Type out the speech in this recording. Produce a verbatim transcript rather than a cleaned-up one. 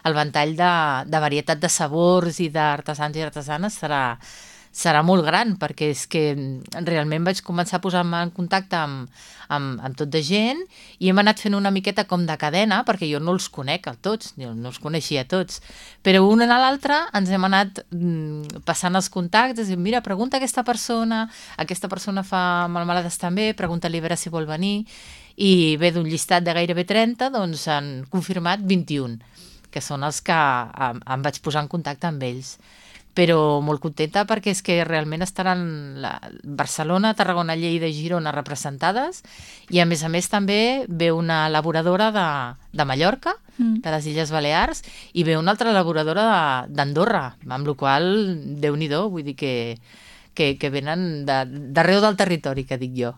el ventall de, de varietat de sabors i d'artesans i artesanes serà, serà molt gran, perquè és que realment vaig començar a posar-me en contacte amb, amb, amb tot de gent i hem anat fent una miqueta com de cadena, perquè jo no els conec a tots, jo no els coneixia a tots, però un a l'altre ens hem anat mm, passant els contactes i mira, pregunta a aquesta persona, aquesta persona fa melmelades també, pregunta-li a veure si vol venir, i bé, d'un llistat de gairebé trenta, doncs han confirmat vint-i-un, que són els que em, em vaig posar en contacte amb ells. Però molt contenta perquè és que realment estaran la Barcelona, Tarragona, Lleida i Girona representades i a més a més també ve una elaboradora de, de Mallorca, mm. de les Illes Balears, i ve una altra elaboradora d'Andorra, amb la qual cosa, Déu-n'hi-do, vull dir que, que, que venen d'arreu del territori, que dic jo.